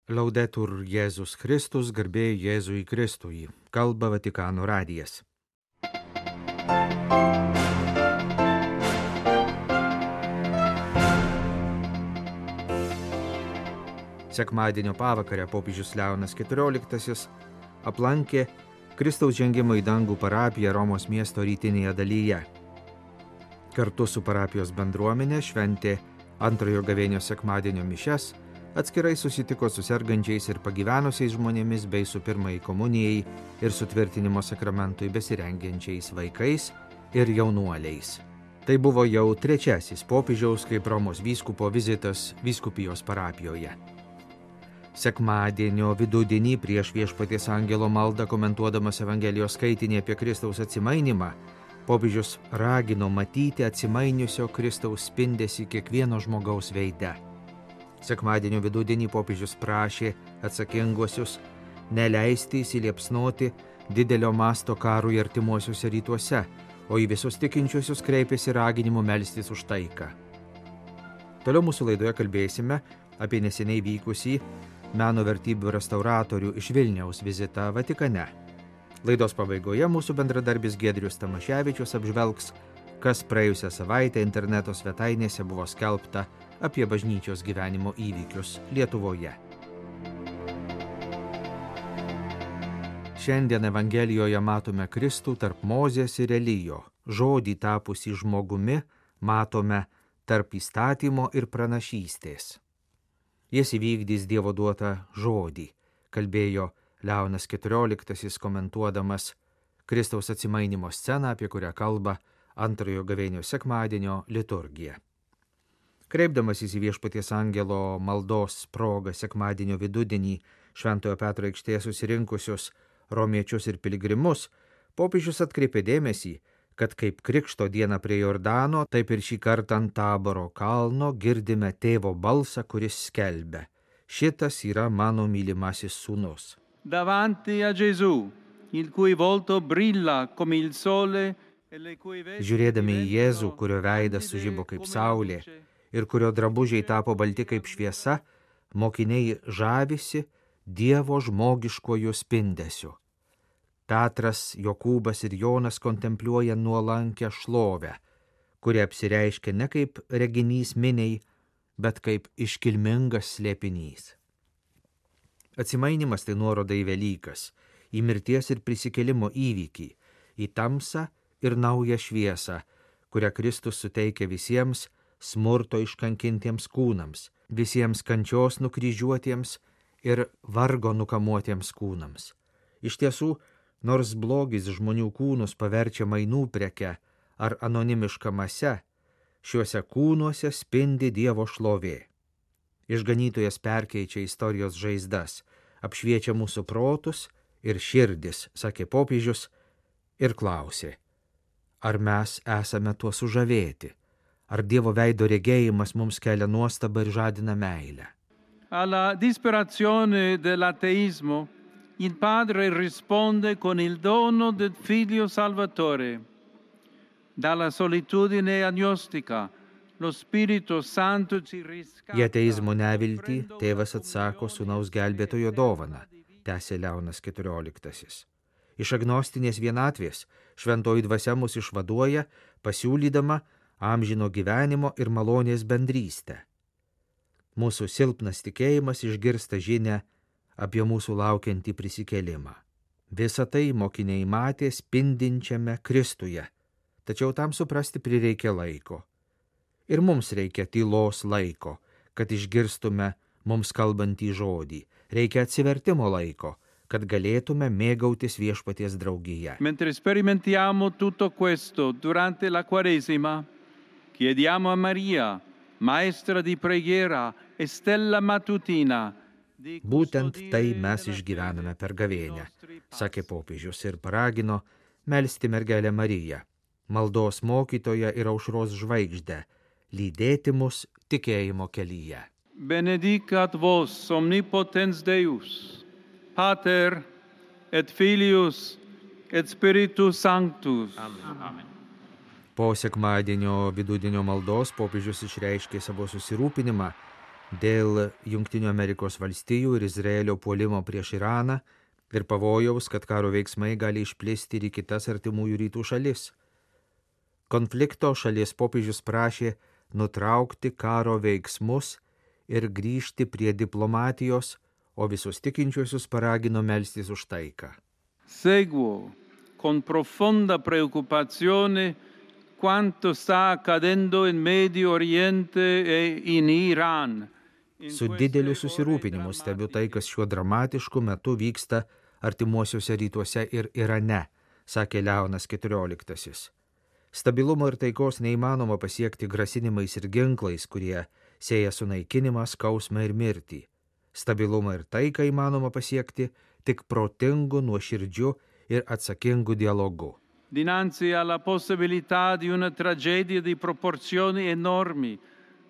Laudetur Jėzus Kristus, garbė Jėzui Kristui, kalba Vatikano radijas. Sekmadienio pavakarę popiežius Leonas XIV aplankė Kristaus žengimo į dangų parapiją Romos miesto rytinėje dalyje. Kartu su parapijos bendruomenė šventė antrojo gavėnios sekmadienio mišias, atskirai susitiko su sergančiais ir pagyvenusiais žmonėmis bei su pirmajai komunijai ir sutvirtinimo sakramentui besirengiančiais vaikais ir jaunuoliais. Tai buvo jau trečiasis popiežiaus kaip Romos vyskupo vizitas vyskupijos parapijoje. Sekmadienio vidudienį prieš Viešpaties angelo maldą komentuodamas Evangelijos skaitinį apie Kristaus atsimainimą, popiežius ragino matyti atsimainiusio Kristaus spindesį kiekvieno žmogaus veide. Sekmadienio vidudienį popiežius prašė atsakinguosius neleisti įsiliepsnoti didelio masto karui artimuosiuose rytuose, o į visus tikinčiuosius kreipėsi raginimu melstis už taiką. Toliau mūsų laidoje kalbėsime apie neseniai vykusį meno vertybių restauratorių iš Vilniaus vizitą Vatikane. Laidos pabaigoje mūsų bendradarbis Giedrius Tamaševičius apžvelgs, kas praėjusią savaitę interneto svetainėse buvo skelbta apie bažnyčios gyvenimo įvykius Lietuvoje. Šiandien Evangelijoje matome Kristų tarp Mozės ir Elijo, žodį tapusį žmogumi matome tarp įstatymo ir pranašystės. Jis įvykdys Dievo duotą žodį, kalbėjo Leonas XIV komentuodamas Kristaus atsimainimo sceną, apie kurią kalba antrojo gavėnios sekmadienio liturgija. Kreipdamasis į Viešpaties angelo maldos progą sekmadienio vidudienį Šventojo Petro aikštėje susirinkusius romiečius ir piligrimus, popiežius atkreipė dėmesį, kad kaip Krikšto dieną prie Jordano, taip ir šį kartą ant Taboro kalno girdime tėvo balsą, kuris skelbia: šitas yra mano mylimasis sūnus. Davanti a Gesù, il cui volto brilla come il sole. Žiūrėdami į Jėzų, kurio veidas sužibo kaip saulė ir kurio drabužiai tapo balti kaip šviesa, mokiniai žavisi Dievo žmogiškuoju spindesiu. Petras, Jokūbas ir Jonas kontempliuoja nuolankę šlovę, kuri apsireiškia ne kaip reginys miniai, bet kaip iškilmingas slėpinys. Atsimainimas tai nuoroda į Velykas, į mirties ir prisikėlimo įvykį, į tamsą ir naują šviesą, kurią Kristus suteikia visiems smurto iškankintiems kūnams, visiems kančios nukryžiuotiems ir vargo nukamuotiems kūnams. Iš tiesų, nors blogis žmonių kūnus paverčia mainų preke ar anonimiška mase, šiuose kūnuose spindi Dievo šlovė. Išganytojas perkeičia istorijos žaizdas, apšviečia mūsų protus ir širdis, sakė popiežius, ir klausė: ar mes esame tuo sužavėti? Ar Dievo veido regėjimas mums kelia nuostabą ir žadina meilę? Alla disperazione dell'ateismo, il Padre risponde con il dono del Figlio Salvatore. Dalla solitudine agnostica, lo Spirito Santo ci riscatta. Į ateizmo neviltį tėvas atsako sūnaus gelbėtojo dovaną, tęsė Leonas XIV. Iš agnostinės vienatvės šventoji dvasia mus išvaduoja, pasiūlydama amžino gyvenimo ir malonės bendrystę. Mūsų silpnas tikėjimas išgirsta žinią apie mūsų laukiantį prisikėlimą. Visą tai mokiniai matė spindinčiame Kristuje, tačiau tam suprasti prireikia laiko. Ir mums reikia tylos laiko, kad išgirstume mums kalbantį žodį. Reikia atsivertimo laiko, kad galėtume mėgautis Viešpaties draugija. Mentre sperimentiamo tutto questo durante la Quaresima, chiediamo a Maria, maestra di preghiera e stella mattutina. Būtent tai mes išgyvename per gavėnią, sakė popiežius ir paragino melsti mergelę Mariją, maldos mokytoją ir aušros žvaigždę, lydėti mus tikėjimo kelyje. Benedicat vos omnipotens Deus, Pater et Filius et Spiritus Sanctus. Amen. Po sekmadienio vidudienio maldos popiežius išreiškė savo susirūpinimą dėl Jungtinių Amerikos valstijų ir Izraelio puolimo prieš Iraną ir pavojaus, kad karo veiksmai gali išplisti ir į kitas artimųjų rytų šalis. Konflikto šalies popiežius prašė nutraukti karo veiksmus ir grįžti prie diplomatijos, o visus tikinčiuosius paragino melstis už taiką. Seguo con profonda preoccupazione quanto sta accadendo in Medio Oriente e in Iran. Su dideliu susirūpinimu stebiu tai, kas šiuo dramatišku metu vyksta artimuosiuose rytuose ir Irane, sakė Leonas XIV. Stabilumo ir taikos neįmanoma pasiekti grasinimais ir ginklais, kurie sieja sunaikinimą, skausmą ir mirtį. Stabilumą ir taiką įmanoma pasiekti tik protingu, nuoširdžiu ir atsakingu dialogu. Dinanzi alla possibilità di una tragedia di proporzioni enormi,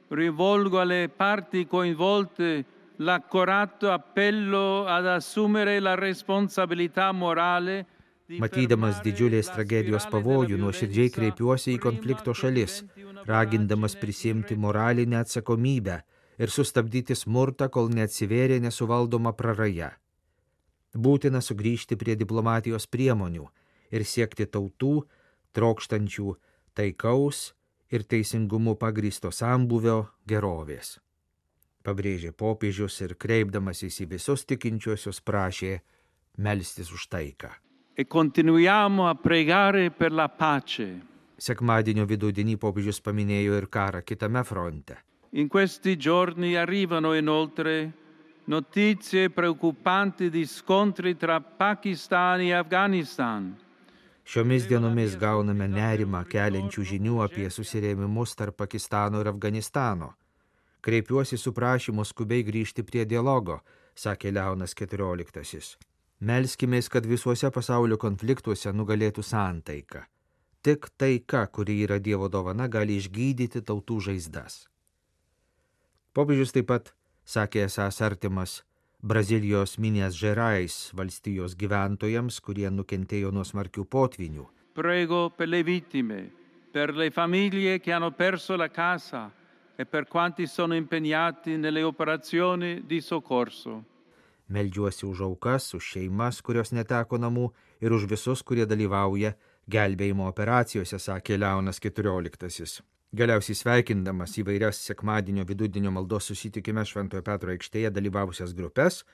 rivolgo alle parti coinvolte l'accorato appello ad assumere la responsabilità morale. Matydamas didžiulės tragedijos pavojų, nuoširdžiai kreipiuosi į konflikto šalis, ragindamas prisimti moralinę atsakomybę ir sustabdyti smurtą, kol neatsivėrė nesuvaldoma praraja. Būtina sugrįžti prie diplomatijos priemonių ir siekti tautų, trokštančių taikaus ir teisingumu pagrįsto sambūvio gerovės. Pabrėžė popiežius ir kreipdamasis į visus tikinčiuosius prašė melstis už taiką. E continuiamo a pregare per la pace. Sekmadienio vidudienį popiežius paminėjo ir karą kitame fronte. In questi giorni arrivano inoltre notizie preoccupanti di scontri tra Pakistan e Afghanistan. Šiomis dienomis gauname nerimą keliančių žinių apie susirėmimus tarp Pakistano ir Afganistano. Kreipiuosi su prašymu skubiai grįžti prie dialogo, sakė Leonas XIV. Melskimės, kad visuose pasaulio konfliktuose nugalėtų santaika. Tik taika, kuri yra Dievo dovana, gali išgydyti tautų žaizdas. Popiežius taip pat sakė esąs artimas Brazilijos Minas Gerais valstijos gyventojams, kurie nukentėjo nuo smarkių potvynių. Prego per le vittime, per le famiglie che hanno perso la casa e per quanti sono impegnati nelle operazioni di soccorso. Meldžiuosi už aukas, už šeimas, kurios neteko namų ir už visus, kurie dalyvauja gelbėjimo operacijose, sakė Leonas XIV. Galiausiai sveikindamas įvairias sekmadienio vidudienio maldos susitikime Šventojo Petro aikštėje dalyvavusias grupes,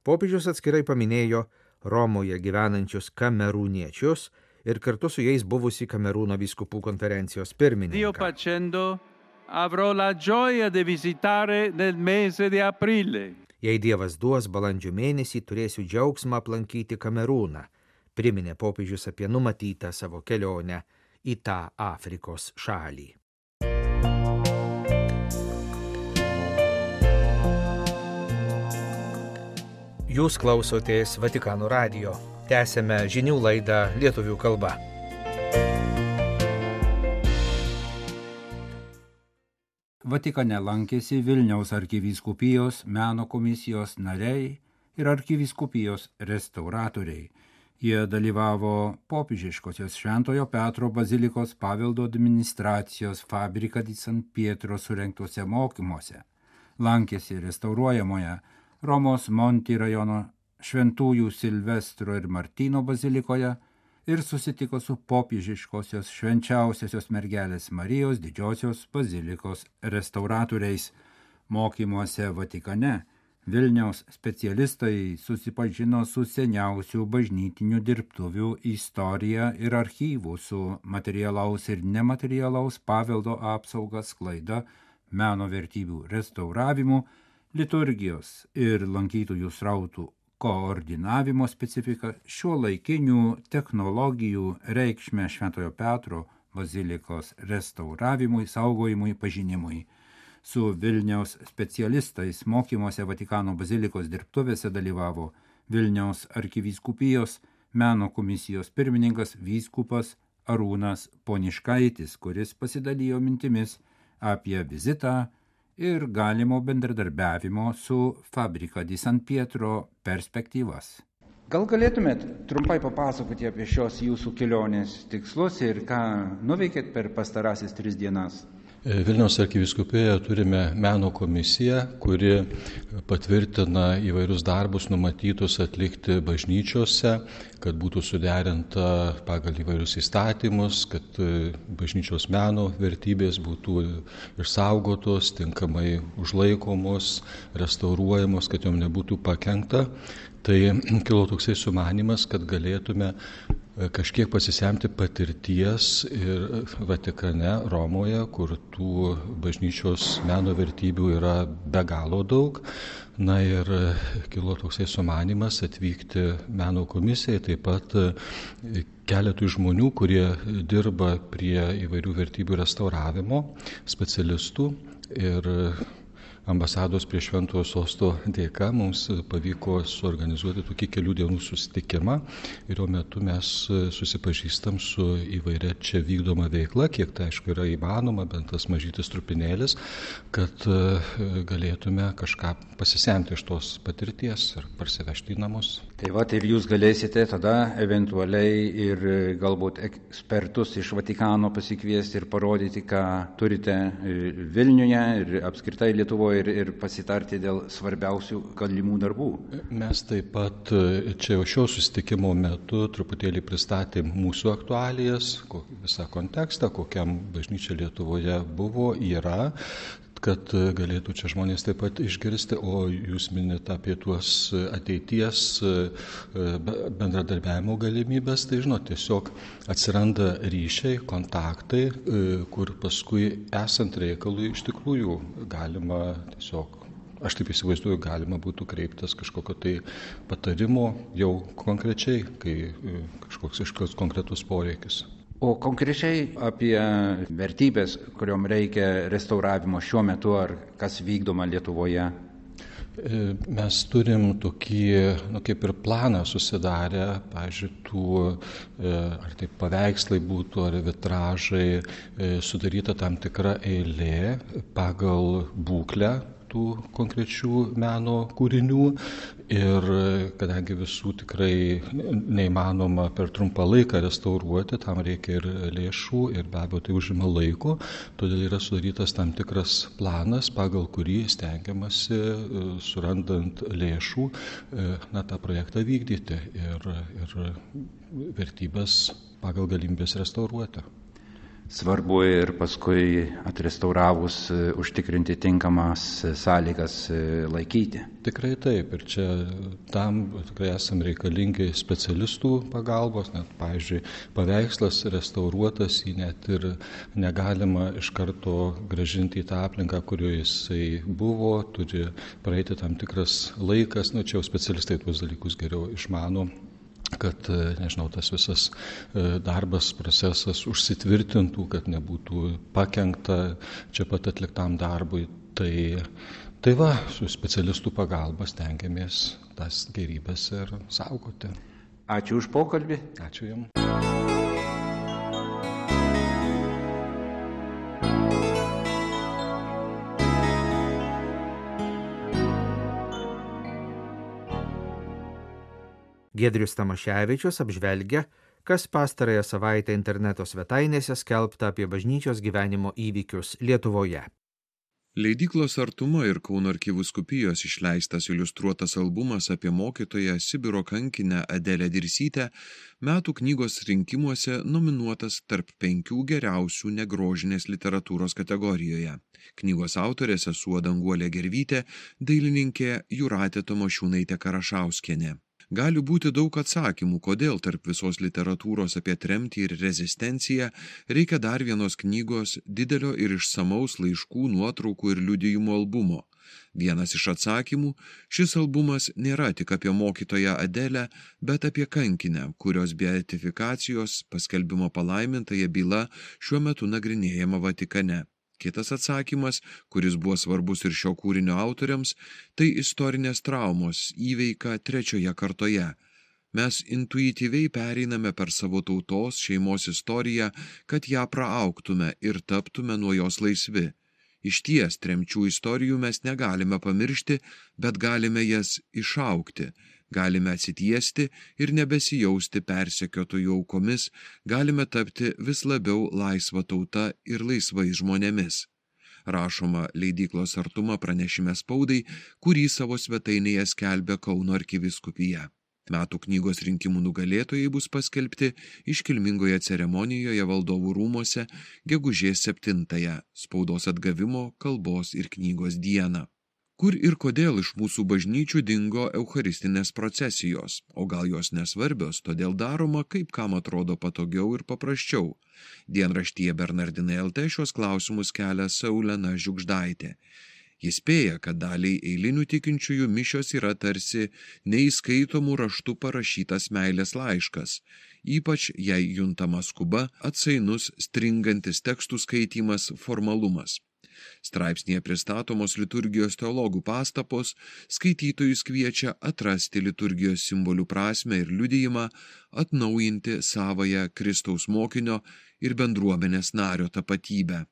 popiežius atskirai paminėjo Romoje gyvenančius kamerūniečius ir kartu su jais buvusi Kamerūno vyskupų konferencijos pirmininką. Dio facendo, avrò la gioia di visitare nel mese di aprile. Jei Dievas duos, balandžio mėnesį turėsiu džiaugsmą aplankyti Kamerūną, priminė popiežius apie numatytą savo kelionę į tą Afrikos šalį. Jūs klausotės Vatikano radijo. Tęsėme žinių laidą lietuvių kalba. Vatikane lankėsi Vilniaus arkivyskupijos meno komisijos nariai ir arkivyskupijos restauratoriai. Jie dalyvavo popiežiškosios Šventojo Petro bazilikos paveldo administracijos Fabrica di San Pietro surengtuose mokymuose. Lankėsi restauruojamoje Romos Monti rajono Šventųjų Silvestro ir Martyno bazilikoje ir susitiko su popiežiškosios švenčiausiosios mergelės Marijos didžiosios bazilikos restauratoriais. Mokymuose Vatikane Vilniaus specialistai susipažino su seniausių bažnytinių dirbtuvių istorija ir archyvų, su materialaus ir nematerialaus paveldo apsauga, sklaida, meno vertybių restauravimu, liturgijos ir lankytojų srautų koordinavimo specifika, šiuolaikinių technologijų reikšmę Šventojo Petro bazilikos restauravimui, saugojimui, pažinimui. Su Vilniaus specialistais mokymuose Vatikano bazilikos dirbtuvėse dalyvavo Vilniaus arkivyskupijos meno komisijos pirmininkas vyskupas Arūnas Poniškaitis, kuris pasidalijo mintimis apie vizitą ir galimo bendradarbiavimo su Fabrica di San Pietro perspektyvas. Gal galėtumėt trumpai papasakoti apie šios jūsų kelionės tikslus ir ką nuveikėt per pastarasis 3 dienas? Vilniaus arkivyskupijoje turime meno komisiją, kuri patvirtina įvairius darbus numatytus atlikti bažnyčiose, kad būtų suderinta pagal įvairius įstatymus, kad bažnyčios meno vertybės būtų išsaugotos, tinkamai užlaikomos, restauruojamos, kad jom nebūtų pakenkta. Tai kilo toksai sumanymas, kad galėtume kažkiek pasisemti patirties ir Vatikane, Romoje, kur tų bažnyčios meno vertybių yra be galo daug. Na ir kilo toksai sumanymas atvykti meno komisijai, taip pat keletui žmonių, kurie dirba prie įvairių vertybių restauravimo, specialistų. Ir ambasados prie Šventojo Sosto dėka mums pavyko suorganizuoti tokį kelių dienų susitikimą ir jo metu mes susipažįstam su įvairia čia vykdoma veikla, kiek tai aišku yra įmanoma, bent tas mažytis trupinėlis, kad galėtume kažką pasisemti iš tos patirties ir parsivežti į namus. Tai va, ir jūs galėsite tada eventualiai ir galbūt ekspertus iš Vatikano pasikviesti ir parodyti, ką turite Vilniuje ir apskritai Lietuvoje ir pasitarti dėl svarbiausių galimų darbų. Mes taip pat čia jau šio susitikimo metu truputėlį pristatėm mūsų aktualijas, visą kontekstą, kokiam bažnyčia Lietuvoje buvo, yra, kad galėtų čia žmonės taip pat išgirsti, o jūs minite apie tuos ateities bendradarbiavimo galimybės, tai žinot, tiesiog atsiranda ryšiai, kontaktai, kur paskui esant reikalui iš tikrųjų galima tiesiog, aš taip įsivaizduoju, galima būtų kreiptis kažkokio tai patarimo jau konkrečiai, kai kažkoks konkretus poreikis. O konkrečiai apie vertybės, kuriuom reikia restauravimo šiuo metu, ar kas vykdoma Lietuvoje? Mes turim tokį, kaip ir planą susidarę, pavyzdžiui, ar tai paveikslai būtų, ar vitražai, sudaryta tam tikra eilė pagal būklę tų konkrečių meno kūrinių ir kadangi visų tikrai neįmanoma per trumpą laiką restauruoti, tam reikia ir lėšų ir be abejo tai užima laiko, todėl yra sudarytas tam tikras planas, pagal kurį stengiamasi, surandant lėšų, tą projektą vykdyti ir vertybės pagal galimybės restauruoti. Svarbu ir paskui atrestauravus užtikrinti tinkamas sąlygas laikyti. Tikrai taip, ir čia tam tikrai esam reikalingi specialistų pagalbos, net, pavyzdžiui, paveikslas restauruotas, jį net ir negalima iš karto grąžinti į tą aplinką, kurioje jisai buvo, turi praeiti tam tikras laikas, čia jau specialistai tuos dalykus geriau išmano, kad, nežinau, tas visas darbas, procesas užsitvirtintų, kad nebūtų pakenkta čia pat atliktam darbui. Tai va, su specialistų pagalba stengiamės tas gėrybės ir saugoti. Ačiū už pokalbį. Ačiū Jums. Giedrius Tamaševičius apžvelgia, kas pastarąją savaitę interneto svetainėse skelbta apie bažnyčios gyvenimo įvykius Lietuvoje. Leidyklos Artuma ir Kauno arkivyskupijos išleistas iliustruotas albumas apie mokytoją Sibiro kankinę Adelę Dirsytę metų knygos rinkimuose nominuotas tarp 5 geriausių negrožinės literatūros kategorijoje. Knygos autorė sesuo Danguolė Gervytė, dailininkė Jūratė Tamošiūnaitė Karašauskienė. Gali būti daug atsakymų, kodėl tarp visos literatūros apie tremtį ir rezistenciją reikia dar vienos knygos didelio ir išsamaus laiškų, nuotraukų ir liudijimų albumo. Vienas iš atsakymų – šis albumas nėra tik apie mokytoją Adelę, bet apie kankinę, kurios beatifikacijos paskelbimo palaimintąją byla šiuo metu nagrinėjama Vatikane. Kitas atsakymas, kuris buvo svarbus ir šio kūrinio autoriams, tai istorinės traumos įveika 3 kartoje. Mes intuityviai pereiname per savo tautos, šeimos istoriją, kad ją praaugtume ir taptume nuo jos laisvi. Išties, tremčių istorijų mes negalime pamiršti, bet galime jas išaugti. Galime atsitiesti ir nebesijausti persekiotojų aukomis, galime tapti vis labiau laisva tauta ir laisvais žmonėmis. Rašoma leidyklos Artuma pranešime spaudai, kurį savo svetainėje skelbia Kauno arkivyskupija. Metų knygos rinkimų nugalėtojai bus paskelbti iškilmingoje ceremonijoje Valdovų rūmuose gegužės 7-ąją, spaudos atgavimo, kalbos ir knygos dieną. Kur ir kodėl iš mūsų bažnyčių dingo eucharistinės procesijos, o gal jos nesvarbios, todėl daroma, kaip kam atrodo patogiau ir paprasčiau. Dienraštyje Bernardinai LT šios klausimus kelia Saulena Žiugždaitė. Jis spėja, kad daliai eilinių tikinčiųjų mišios yra tarsi neįskaitomų raštų parašytas meilės laiškas, ypač jei juntama skuba, atsainus, stringantis tekstų skaitymas, formalumas. Straipsnėje pristatomos liturgijos teologų pastabos skaitytojus kviečia atrasti liturgijos simbolių prasmę ir liudijimą, atnaujinti savąją Kristaus mokinio ir bendruomenės nario tapatybę.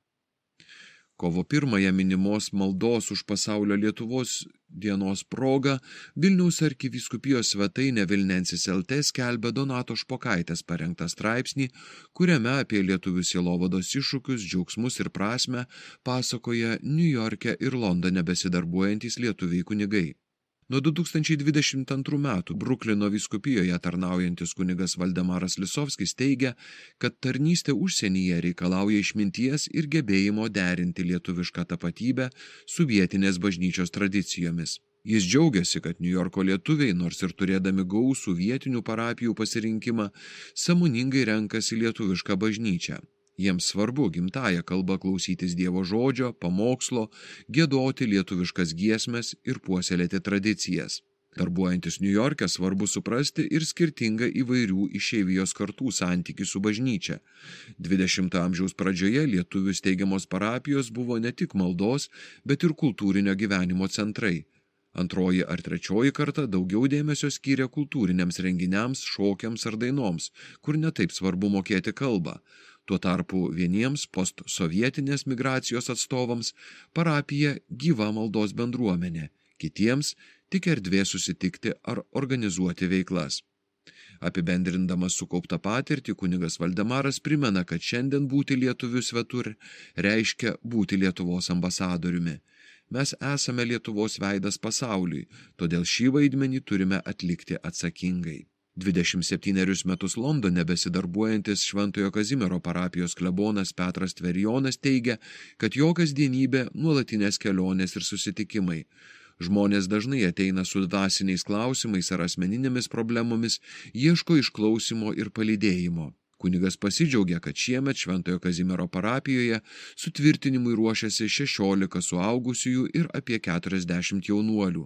Kovo 1-ąją minimos maldos už pasaulio Lietuvos dienos proga Vilniaus arkivyskupijos svetainė Vilnensis LT skelbia Donato Špokaitės parengtą straipsnį, kuriame apie lietuvių sielovados iššūkius, džiaugsmus ir prasmę pasakoja Niujorke ir Londone besidarbuojantys lietuviai kunigai. Nuo 2022 metų Bruklino vyskupijoje tarnaujantis kunigas Valdemaras Lisovskis teigia, kad tarnystė užsienyje reikalauja išminties ir gebėjimo derinti lietuvišką tapatybę su vietinės bažnyčios tradicijomis. Jis džiaugiasi, kad Niujorko lietuviai, nors ir turėdami gausų vietinių parapijų pasirinkimą, sąmoningai renkasi lietuvišką bažnyčią. Jiems svarbu gimtąją kalbą klausytis Dievo žodžio, pamokslo, giedoti lietuviškas giesmes ir puoselėti tradicijas. Darbuojantis Niujorke svarbu suprasti ir skirtingą įvairių išeivijos kartų santykį su bažnyčia. 20 amžiaus pradžioje lietuvių steigiamos parapijos buvo ne tik maldos, bet ir kultūrinio gyvenimo centrai. Antroji ar trečioji karta daugiau dėmesio skyrė kultūriniams renginiams, šokiams ar dainoms, kur netaip svarbu mokėti kalbą. Tuo tarpu vieniems postsovietinės migracijos atstovams parapija gyva maldos bendruomenė, kitiems tik erdvė susitikti ar organizuoti veiklas. Apibendrindamas sukauptą patirtį, kunigas Valdemaras primena, kad šiandien būti lietuvių svetur reiškia būti Lietuvos ambasadoriumi. Mes esame Lietuvos veidas pasauliui, todėl šį vaidmenį turime atlikti atsakingai. 27 metus Londone besidarbuojantis Šventojo Kazimiero parapijos klebonas Petras Tverijonas teigia, kad jo kasdienybė nuolatinės kelionės ir susitikimai. Žmonės dažnai ateina su dvasiniais klausimais ar asmeninėmis problemomis, ieško išklausimo ir palydėjimo. Kunigas pasidžiaugia, kad šiemet Šventojo Kazimiero parapijoje sutvirtinimui ruošiasi 16 suaugusiųjų ir apie 40 jaunuolių.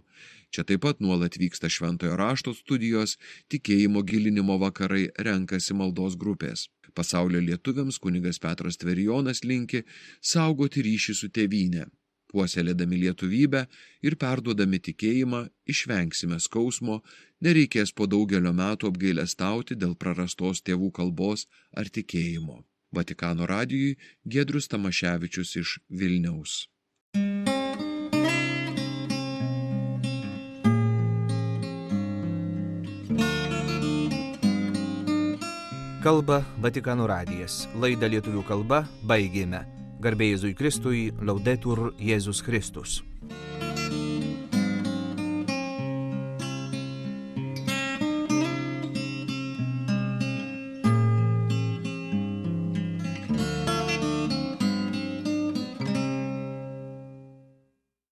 Čia taip pat nuolat vyksta šventojo rašto studijos, tikėjimo gilinimo vakarai, renkasi maldos grupės. Pasaulio lietuviams kunigas Petras Tverijonas linki saugoti ryšį su tėvyne. Puoselėdami lietuvybę ir perduodami tikėjimą, išvengsime skausmo, nereikės po daugelio metų apgailestauti dėl prarastos tėvų kalbos ar tikėjimo. Vatikano radijui Giedrius Tamaševičius iš Vilniaus. Kalba Vatikano radijas. Laidą lietuvių kalba baigėme. Garbė Jėzui Kristui, Laudetur Jėzus Kristus.